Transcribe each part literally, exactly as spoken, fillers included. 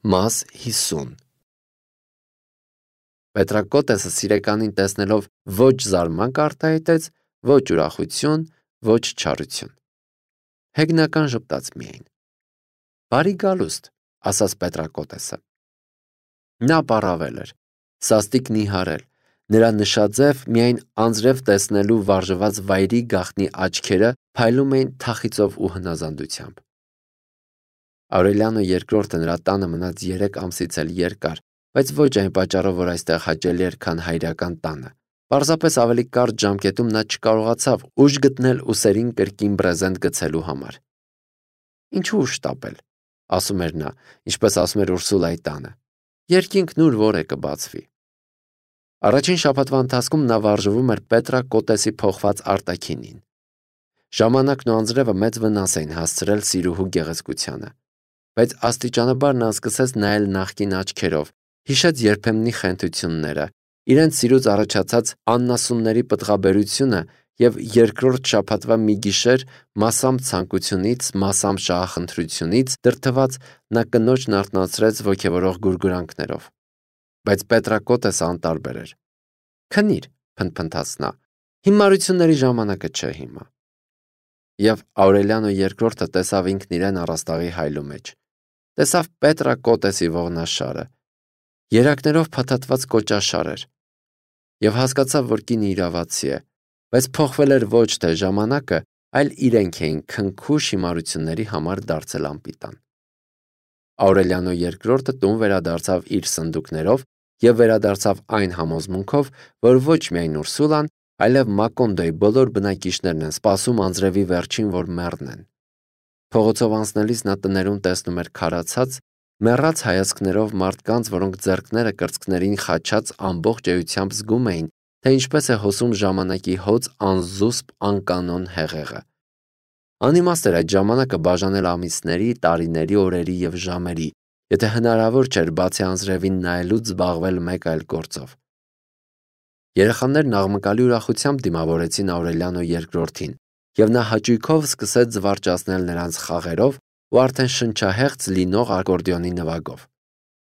Մաս հիսուն Պետրակոտեսը սիրեկանին տեսնելով ոչ զարմանք արտահայտեց, ոչ ուրախություն, ոչ չարություն։ Հեգնական ժպտաց միայն։ Բարի գալուստ, ասաց Պետրակոտեսը։ Նա պառավել էր, սաստիկ նիհարել, նրա նշաձև միայն անձրև տեսնելու վարժված վայրի գաղտնի աչքերը փայլում էին թախիծով ու հնազանդությամբ։ Աուրելիանո երկրորդը նրա տանը մնաց երեք ամսից էլ երկար, բայց ոչ այն պատճառով, որ այստեղ հաճելի էր, քան հայրական տանը։ Պարզապես ավելի կարճ ժամկետում նա չկարողացավ ուժ գտնել ուսերին կրկին բրեզենտ գցելու համար։ Ինչու ուժ տապել, ասում էր նա, ինչպես ասում էր Ուրսուլայի տանը։ Երկինքն ուր որ է կբացվի։ Առաջին շաբաթվա ընթացքում նա վարժվում էր Պետրակոտեսի փոխված արտաքինին։ Ժամանակն ու անձրևը մեծ վնաս էին հասցրել սիրուհու գեղեցկությանը, բայց աստիճանաբար նա սկսեց նայել նախկին աչքերով, հիշեց երբեմնի խենթությունները, իրենց սիրուց առաջացած աննասունների պտղաբերությունը և երկրորդ շաբաթվա մի գիշեր մասամբ ցանկությունից, մասամբ շահախնդրությունից դրդված նա կնոջն արթնացրեց ոգևորող գուրգուրանքներով։ Բայց Պետրակոտեսը անտարբեր էր։ Քնիր, փնթփնթաց նա, հիմարությունների ժամանակը չէ հիմա։ Եվ Աուրելիանո երկրորդը տեսավ ինքն իրեն առաստաղի հայլու մեջ, տեսավ Պետրակոտեսի ողնաշարը, երակներով փաթաթված կոճաշար էր, և հասկացավ, որ կինը իրավացի է, բայց փոխվել էր ոչ թե ժամանակը, այլ իրենք էին քնքուշ հիմարությունների համար դարձել անպիտան։ Աուրելիանո երկրորդը տուն վերադարձավ իր սնդուկներով և վերադարձավ այն համոզմունքով, որ ոչ միայն Ուրսուլան, այլև Մակոնդոյի բոլոր բնակիչներն են սպասում անձրևի վերջին, որ մեռնեն։ Փողոցով անցնելիս նա տներում տեսնում էր քարացած, մեռած հայացքներով մարդկանց, որոնք ձեռքները կրծքներին խաչած ամբողջ էությամբ զգում էին, թե ինչպես է հոսում ժամանակի հոծ անզուսպ անկանոն հեղեղը։ Անիմաստ էր այդ ժամանակը բաժանել ամիսների, տարիների, օրերի և ժամերի, եթե հնարավոր չէր բացի անձրևին նայելուց զբաղվել մեկ այլ գործով։ Երեխաներն աղմկալի ուրախությամբ դիմավորեցին Աուրելիանո երկրորդին, և նա հաճույքով սկսեց զվարճացնել նրանց խաղերով ու արդեն շնչահեղձ լինող ակորդեոնի նվագով։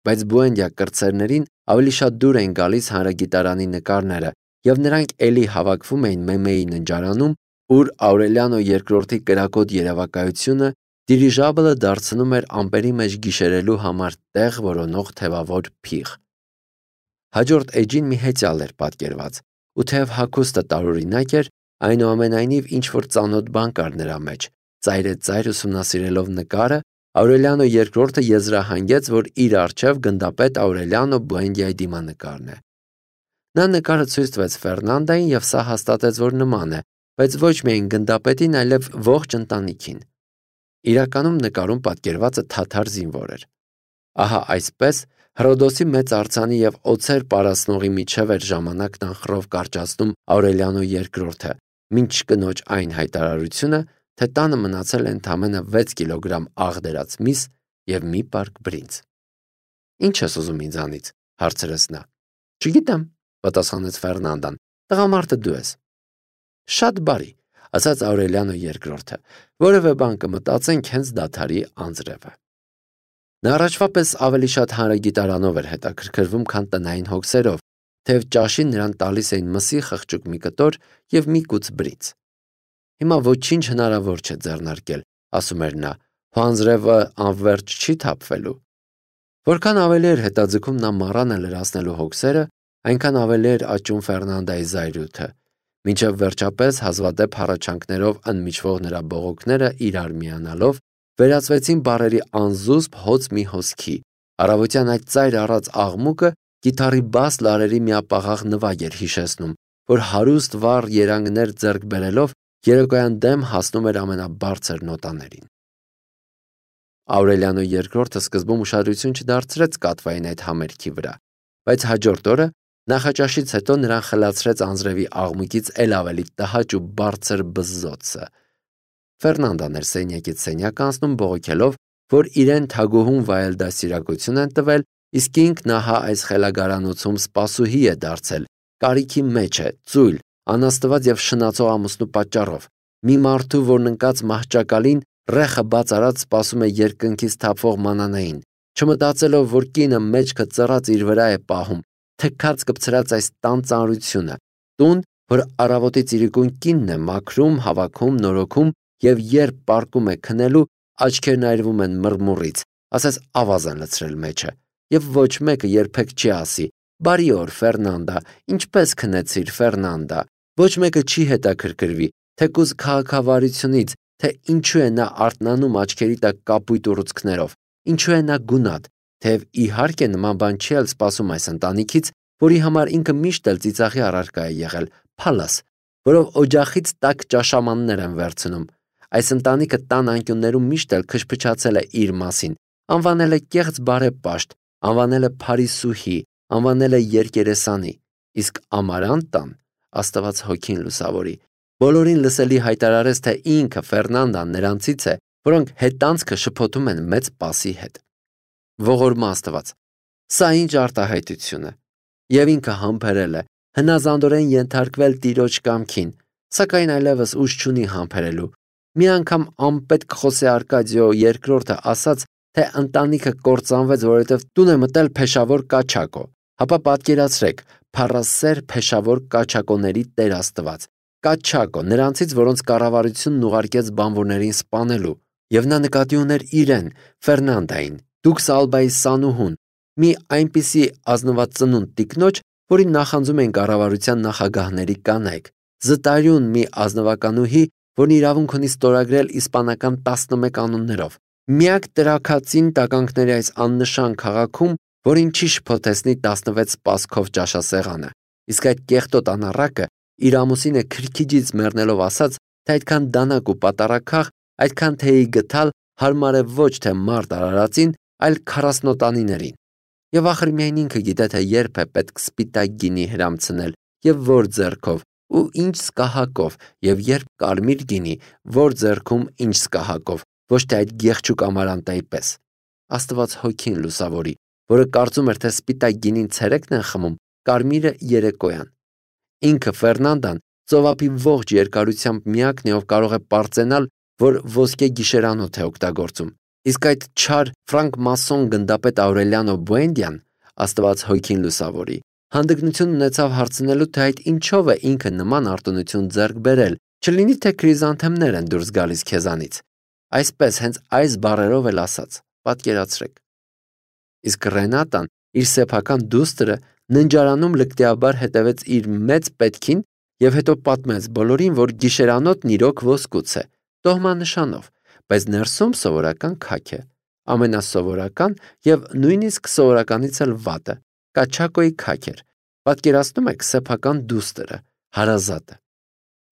Բայց Բուենդիա կրտսերներին ավելի շատ դուր էին գալիս հանրագիտարանի նկարները, և նրանք էլի հավաքվում էին Մեմեի ննջարանում, ուր Աուրելիանո երկրորդի կրակոտ երևակայությունը դիրիժաբլը դարձնում էր ամպերի մեջ գիշերելու համար տեղ որոնող թևավոր փիղ։ Հաջորդ էջին մի հեծյալ էր պատկերված, ու թեև հագուստը տարօրինակ էր, այնուամենայնիվ ինչ-որ ծանոթ բան կար նրա մեջ։ Ծայրեծայր ուսումնասիրելով նկարը, Աուրելիանո երկրորդը եզրահանգեց, որ իր առջև գնդապետ Աուրելիանո Բուենդիայի դիմանկարն է։ Նա նկարը ցույց տվեց Ֆերնանդային, և սա հաստատեց, որ նման է, բայց ոչ միայն գնդապետին, այլև ողջ ընտանիքին։ Իրականում նկարում պատկերվածը թաթար զինվոր էր։ Ահա այսպես Հռոդոսի մեծ արձանի և օձեր պարասնողի միջև էր ժամանակն անխռով կարճացնում Աուրելիանո երկրորդը, մինչ կնոջ այն հայտարարությունը, թե տանը մնացել է ընդամենը վեց կիլոգրամ աղդերած միս և մի պարկ բրինձ։ Ինչ ես ուզում ինձանից, հարցրեց նա։ Չգիտեմ, պատասխանեց Ֆերնանդան, տղամարդը դու ես։ Շատ բարի, ասաց Աուրելիանո երկրորդը, որևէ բան կմտածենք հենց դադարի անձրևը։ Նա առաջվա պես ավելի շատ հանրագիտարանով էր հետաքրքրվում, քան տնային հոգսերով, թեև ճաշին նրան տալիս էին մսի խղճուկ մի կտոր և մի կուց բրինձ։ Հիմա ոչինչ հնարավոր չէ ձեռնարկել, ասում էր նա, հո անձրևը անվերջ չի թափվելու։ Որքան ավելի էր հետաձգում նա մառանը լրացնելու հոգսերը, այնքան ավելի էր աճում Ֆերնանդայի զայրույթը, մինչև վերջապես հազվադեպ հառաչանքներով ընդմիջվող նրա բողոքները իրար միանալով վերածվեցին բառերի անզուսպ հոծ մի հոսքի։ Առավոտյան այդ ծայր առած աղմուկը կիթառի բաս լարերի միապաղաղ նվագ էր հիշեցնում, որ հարուստ վառ երանգներ ձեռք բերելով երեկոյան դեմ հասնում էր ամենաբարձր նոտաներին։ Աուրելիանո երկրորդը սկզբում ուշադրություն չդարձրեց կատվային այդ համերգի վրա, բայց հաջորդ օրը նախաճաշից հետո նրան խլացրեց անձրևի աղմուկից էլ ավելի տհաճ ու բարձր բզզոցը։ Ֆերնանդան էր սենյակից սենյակ անցնում բողոքելով, որ իրեն թագուհուն վայել դաստիարակություն են տվել, իսկ ինքն ահա այս խելագարանոցում սպասուհի է դարձել, կարիքի մեջ է, ծույլ, անաստված և շնացող ամուսնու պատճառով, մի մարդու, որն ընկած մահճակալին ռեխը բաց արած սպասում է երկնքից թափվող մանանային, չմտածելով, որ կինը մեջքը ծռած իր վրա է պահում, թքած կպցրած այս տան ծանրությունը, տուն, որ առավոտից իրիկուն կինն է մաքրում, հավաքում, նորոգում եւ երբ պարկում է քնելու, աչքերն այրվում են մռմուռից, ասես ավազ են լցրել մեջը, եւ ոչ մեկը երբեք չի ասի. «Բարի օր, Ֆերնանդա, ինչպես քնեցիր, Ֆերնանդա»։ Ոչ մեկը չի հետաքրքրվի, թեկուզ քաղաքավարությունից, թե ինչու է նա արթնանում աչքերի տակ կապույտ ուռուցքներով, ինչու է նա գունատ, թեև իհարկե նման բան չի էլ սպասում այս ընտանիքից, որի համար ինքը միշտ էլ ծիծաղի առարկա է եղել, փալաս, որով օջախից տաք ճաշամաններ են վերցնում։ Այս ընտանիքը տան անկյուններում միշտ էլ քշփչացել է իր մասին, անվանել է կեղծ բարեպաշտ, անվանել է փարիսուհի, անվանել է երկերեսանի, իսկ Ամարանտ տան, Աստված հոգին լուսավորի, բոլորին լսելի հայտարարեց, թե ինքը Ֆերնանդան նրանցից է, որոնք հետանցքը շփոթում են մեծ պասի հետ։ Ողորմա Աստված, սա ինչ արտահայտություն է, եւ ինքը համբերել է, հնազանդորեն ենթարկվել Տիրոջ կամքին, սակայն այլևս ուժ չունի համբերելու։ Մի անգամ անպետք Խոսե Արկադիո երկրորդը ասաց, թե ընտանիքը կործանվեց, որովհետև տուն է մտել փեշավոր Կաչակո, հապա պատկերացրեք, փառասեր փեշավոր Կաչակոների Տեր Աստված, Կաչակո, նրանցից, որոնց կառավարությունն ուղարկեց բանվորներին սպանելու, եւ նա նկատի ուներ իրեն, Ֆերնանդային, Դուքս Ալբայի սանուհուն, մի այնպիսի ազնվածնունդ տիկնոջ, որին նախանձում էին կառավարության նախագահների կանայք, զտարյուն մի ազնվականուհի, որն իրավունք ունի ստորագրել իսպանական տասնմեկ անուններով, միակ տրաքածին տականքների այս աննշան քաղաքում, որին չի շփոթեցնի տասնվեց սպասքով ճաշասեղանը, իսկ այդ կեղտոտ անառակը իր ամուսինը քրքիջից մեռնելով ասաց, թե այդքան դանակ ու պատարագաղ, այդքան թեյի գթալ հարմար է ոչ թե մարդ արարածին, այլ քառասնոտանիներին։ Եվ ախր միայն ինքը գիտե, թե երբ է պետք սպիտակ գինի հրամցնել եւ որ ձեռքով ու ինչ սկահակով, եւ երբ կարմիր գինի, որ ձեռքում ինչ սկահակով, ոչ թե այդ գեղչուկ Ամարանտայի պես։ Աստված հոգին լուսավորի, որը կարծում էր, թե սպիտակ գինին ցերեկն են խմում, կարմիրը երեկոյան։ Ինքը Ֆերնանդան ծովափի ողջ երկարությամբ միակն է, ով կարող է պարծենալ, որ ոսկե գիշերանոթ է օգտագործում։ Իսկ այդ չար ֆրանկմասոն գնդապետ Աուրելիանո Բուենդիան, Աստված հոգին լուսավորի, հանդգնություն ունեցավ հարցնելու, թե այդ ինչով է ինքը նման արտոնություն ձեռք բերել, չլինի թե քրիզանթեմներ են դուրս գալիս քեզանից։ Այսպես հենց այս բառերով էլ ասաց, պատկերացրեք։ Իսկ Ռենատան, իր սեփական դուստրը, ննջարանում լկտիաբար հետևեց իր մեծ պետքին եւ հետո պատմեց բոլորին, որ գիշերանոթն իրոք ոսկուց է, տոհմանշանով, բայց ներսում սովորական քաք է, ամենասովորական եւ նույնիսկ սովորականից էլ վատը, Կաչակոյի քաք էր։ Պատկերացնում եք սեփական դուստրը, հարազատը։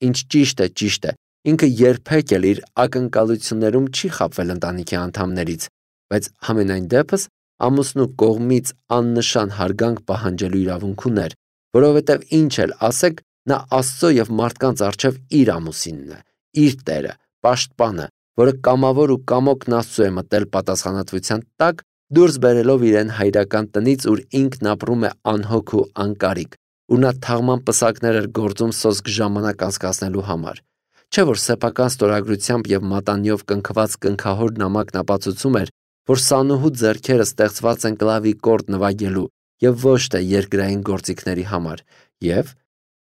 Ինչ ճիշտ է, ճիշտ է, ինքը երբեք էլ իր ակնկալություններում չի խաբվել ընտանիքի անդամներից, բայց համենայն դեպս ամուսնու կողմից աննշան հարգանք պահանջելու իրավունք ուներ, որովհետև ինչ էլ ասեք, նա Աստծո եւ մարդկանց առջև իր ամուսինն է, իր տերը, պաշտպանը, որը կամավոր ու կամոքն Աստծո է մտել պատասխանատվության տակ, դուրս բերելով իրեն հայրական տնից, ուր ինքն ապրում է անհոգ ու անկարիք, ու նա թաղման պսակներ էր գործում սոսկ ժամանակ անցկացնելու համար։ Չէ որ սեփական ստորագրությամբ եւ մատանիով կնքված կնքահոր նամակն ապացուցում էր, որ սանուհու ձեռքերը ստեղծված են կլավի կորդ նվագելու եւ ոչ թե երկրային գործիքների համար, եւ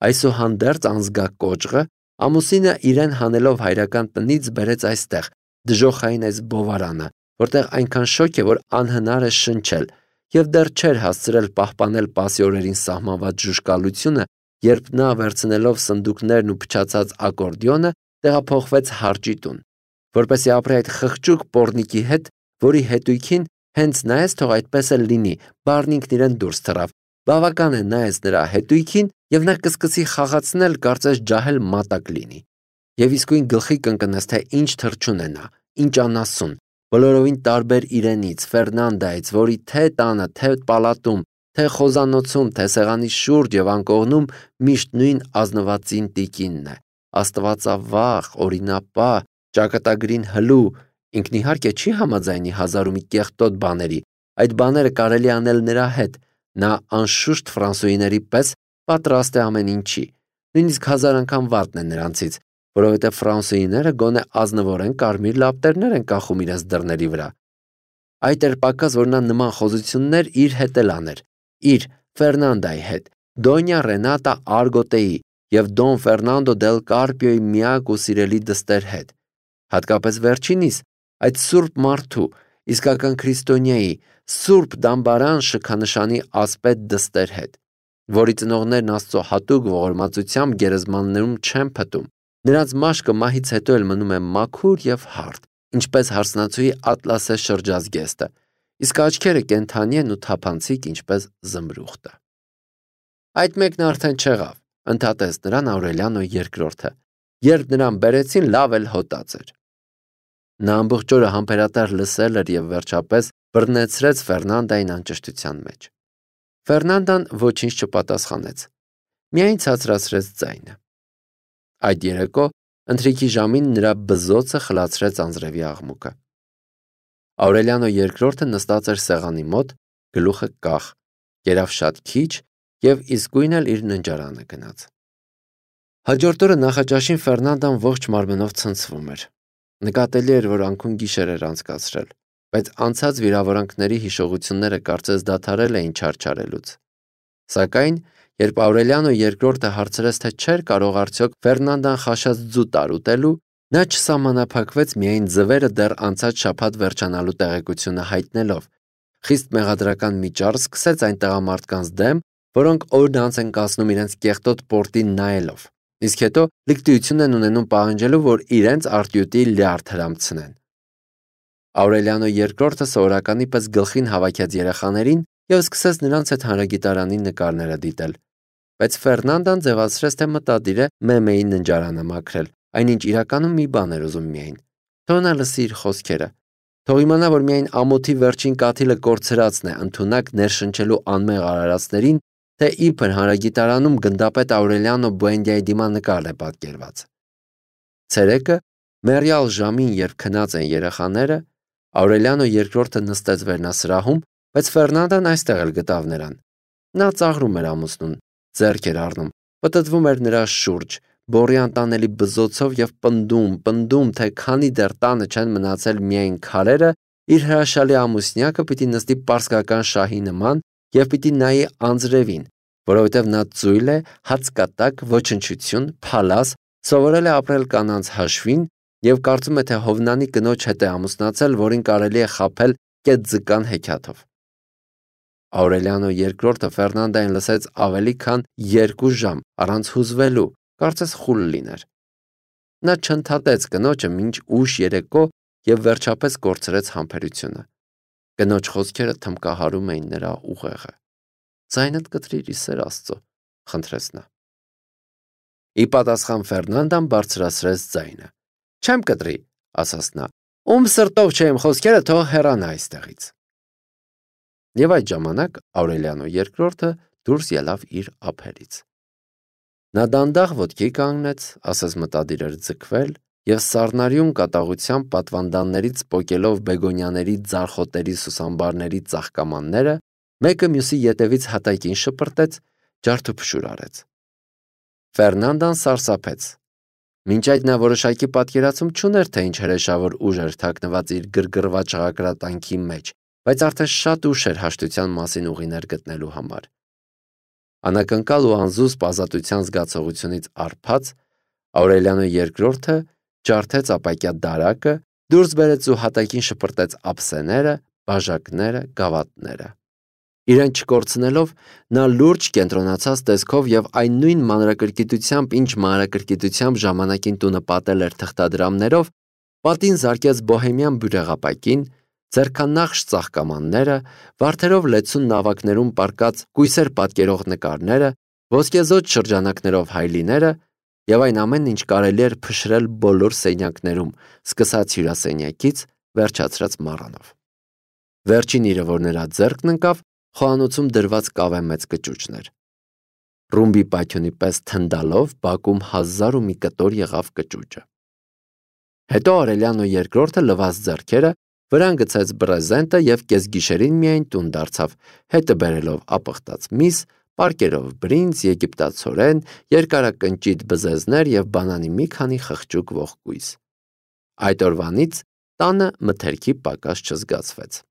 այսուհանդերձ անզգակոճղը ամուսինը իրեն հանելով հայրական տնից բերեց այստեղ, դժոխային այս բովարանը, որտեղ այնքան շոգ է, որ անհնար է շնչել, եւ դեռ չէր հասցրել պահպանել պասի օրերին սահմանված ժուժկալությունը, երբ նա վերցնելով սնդուկներն ու փչացած ակորդեոնը տեղափոխվեց հարճի տուն, որպեսզի ապրի այդ խղճուկ պոռնիկի հետ, որի հետույքին հենց նայես թող այդպես էլ լինի, բառն ինքն իրեն դուրս թռավ, բավական է նայես նրա հետույքին, եւ նա կսկսի խաղացնել, կարծես ջահել մատակ լինի, եւ իսկույն գլխի կընկնես, թե ինչ թռչուն է նա, ինչ անասուն, բոլորովին տարբեր իրենից, Ֆերնանդայից, որի թե տանը, թե պալատում, թե խոզանոցում, թե սեղանի շուրջ եւ անկողնում միշտ նույն ազնվածին տիկինն է, աստվածավախ, օրինապահ, ճակատագրին հլու, ինքն իհարկե չի համաձայնի հազար ու մի կեղտոտ բաների, այդ բաները կարելի անել նրա հետ, նա անշուշտ ֆրանսուհիների պես պատրաստ է ամեն ինչի, նույնիսկ հազար անգամ վատն է նրանցից, որովհետև ֆրանսուհիները գոնե ազնվորեն կարմիր լապտերներ են կախում իրենց դռների վրա։ Այդ էր պակաս, որ նա նման խոզություններ իր հետ էլ աներ, իր Ֆերնանդայի հետ, Դոնյա Ռենատա Արգոտեի և Դոն Ֆերնանդո դել Կարպիոյի միակ ու սիրելի դստեր հետ, հատկապես վերջինիս, այդ սուրբ մարդու, իսկական քրիստոնյայի, սուրբ դամբարան շքանշանի ասպետ դստեր հետ, որի ծնողներն Աստծո հատուկ ողորմածությամբ գերեզմաններում չեն փտում, նրանց մաշկը մահից հետո էլ մնում է մաքուր և հարթ, ինչպես հարսնացուի ատլասե շրջազգեստը, իսկ աչքերը կենդանի են ու թափանցիկ, ինչպես զմրուխտը։ Այդ մեկն արդեն չեղավ, ընդհատեց նրան Աուրելիանո երկրորդը, երբ նրան բերեցին, լավ էլ հոտած էր։ Նա ամբողջ օրը համբերատար լսել էր և վերջապես բռնեցրեց Ֆերնանդային անճշտության մեջ։ Ֆերնանդան ոչինչ չպատասխանեց, միայն ցածրացրեց ձայնը։ Այդ երեկո ընթրիքի ժամին նրա բզոցը խլացրեց անձրևի աղմուկը։ Աուրելիանո երկրորդը նստած էր սեղանի մոտ, գլուխը կախ, կերավ շատ քիչ և իսկույն էլ իր ննջարանը գնաց։ Հաջորդ օրը նախաճաշին Ֆերնանդան ողջ մարմնով ցնցվում էր։ Նկատելի էր, որ անքուն գիշեր էր անցկացրել, բայց անցած վիրավորանքների հիշողությունները կարծես դադարել էին չարչարելուց։ Սակայն, երբ Աուրելիանո երկրորդը հարցրեց, թե չէր կարող արդյոք Ֆերնանդան խաշած ձու տարուտելու, նա չսահմանափակվեց միայն ձվերը դեռ անցած շաբաթ վերջանալու տեղեկությունը հայտնելով, խիստ մեղադրական մի ճառ սկսեց այն տղամարդկանց դեմ, որոնք օրն անց են կացնում իրենց կեղտոտ պորտին նայելով, իսկ հետո լիկտիություն են ունենում պահանջելու, որ իրենց արտյութի լյարդ հրամցնեն։ Աուրելիանո երկրորդը սովորականի պես գլխին հավաքեց երեխաներին և սկսեց նրանց հետ հանրագիտարանի նկարները դիտել, բայց Ֆերնանդան ձևացրեց, թե մտադիր է Մեմեի ննջարանը մաքրել, այնինչ իրականում մի բան էր ուզում միայն։ Թող նա լսի իր խոսքերը, թող իմանա, որ միայն ամոթի վերջին կաթիլը կորցրածն է ընդունակ ներշնչելու անմեղ արարածներին, թե իբր հանրագիտարանում գնդապետ Աուրելիանո Բուենդիայի դիմանկարն է պատկերված։ Ցերեկը, մեռյալ ժամին, երբ քնած են երեխաները, Աուրելիանո երկրորդը նստեց վերնասրահում, բայց Ֆերնանդան այստեղ էլ գտավ նրան։ Նա ծաղրում էր ամուսնուն, ձեռք էր առնում, պտտվում էր նրա շուրջ, բոռի անտանելի բզոցով և պնդում, պնդում, թե քանի դեռ տանը չեն մնացել միայն քարերը, իր հրաշալի ամուսնյակը պիտի նստի պարսկական շահի նման և պիտի նայի անձրևին, որովհետև նա ծույլ է, հացկատակ, ոչնչություն, փալաս, սովորել է ապրել կանանց հաշվին և կարծում է, թե Հովնանի կնոջ հետ է ամուսնացել, որին կարելի է խաբել կետձկան հեքիաթով։ Աուրելիանո երկրորդը Ֆերնանդային լսեց ավելի քան երկու ժամ առանց հուզվելու, կարծես խուլ լիներ։ Նա չընդհատեց կնոջը մինչ ուշ երեկո և վերջապես կորցրեց համբերությունը։ Կնոջ խոսքերը թմկահարում էին նրա ուղեղը։ «Ձայնդ կտրիր, ի սեր Աստծո», խնդրեց նա։ Ի պատասխան Ֆերնանդան բարձրացրեց ձայնը։ «Չեմ կտրի», ասաց նա, «ում սրտով չէ իմ խոսքերը, թող հեռանա այստեղից»։ Եվ այդ ժամանակ Աուրելիանո երկրորդը դուրս ելավ իր ափերից։ Նա դանդաղ ոտքի կանգնեց, ասես մտադիր էր ձգվել, և սառնարյուն կատաղությամբ պատվանդաններից պոկելով բեգոնյաների ձարխոտերի սուսամբարների ծաղկամանները, մեկը մյուսի ետևից հատակին շպրտեց, ջարդուփշուր արեց։ Ֆերնանդան սարսափեց։ Մինչ այդ նա որոշակի պատկերացում չուներ, թե ինչ հրեշավոր ուժ էր թաքնված իր գրգռված շաղակրատանքի մեջ, բայց արդեն շատ ուշ էր հաշտության մասին ուղիներ գտնելու համար։ Անակնկալ ու անզուսպ ազատության զգացողությունից առփած, Աուրելիանո երկրորդը ջարդեց ապակյա դարակը, դուրս բերեց ու հատակին շպրտեց ափսեները, բաժակները, գավաթները։ Իրեն չկորցնելով, նա լուրջ կենտրոնացած տեսքով և այն նույն մանրակրկիտությամբ, ինչ մանրակրկիտությամբ ժամանակին տունը պատել էր թղթադրամներով, պատին զարկեց բոհեմյան բյուրեղապակին, ձեռքանախշ ծաղկամանները, վարդերով լեցուն նավակներում պառկած կույսեր պատկերող նկարները, ոսկեզօծ շրջանակներով հայլիները և այն ամենն, ինչ կարելի էր փշրել բոլոր սենյակներում, սկսած հյուրասենյակից, վերջացրած մառանով։ Վերջին իրը, որ նրա ձեռքն ընկավ, խոհանոցում դրված կավե մեծ կճուճն էր։ Ռումբի պայթյունի պես թնդալով բակում հազար ու մի կտոր եղավ կճուճը։ Հետո Աուրելիանո երկրորդը լվաց ձեռքերը, վրան գցեց բրեզենտը և կեսգիշերին միայն տուն դարձավ, հետը բերելով ապխտած միս, պարկերով բրինձ, եգիպտացորեն, երկարակնճիտ բզեզներ և բանանի մի քանի խղճուկ ողկույզ։ Այդ օրվանից տանը մթերքի պակաս չզգացվեց։